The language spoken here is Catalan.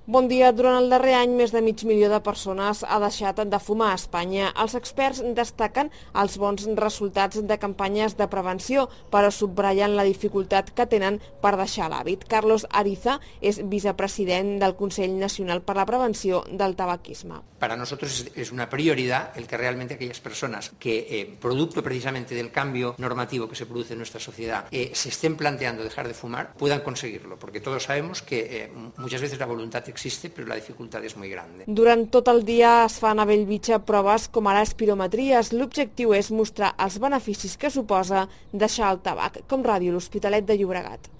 Bon dia. Durant el darrer any, més de mig milió de persones ha deixat de fumar a Espanya. Els experts destaquen els bons resultats de campanyes de prevenció, però subratllen la dificultat que tenen per deixar l'hàbit. Carlos Ariza és vicepresident del Consell Nacional per la Prevenció del Tabaquisme. Para nosotros es una prioridad el que realmente aquellas personas que, producto precisamente del cambio normativo que se produce en nuestra sociedad, se estén planteando dejar de fumar, puedan conseguirlo, porque todos sabemos que muchas veces la voluntad existe, però la dificultat és molt gran. Durant tot el dia es fan a Bellvitge proves com ara espirometries. L'objectiu és mostrar els beneficis que suposa deixar el tabac, com Ràdio L'Hospitalet de Llobregat.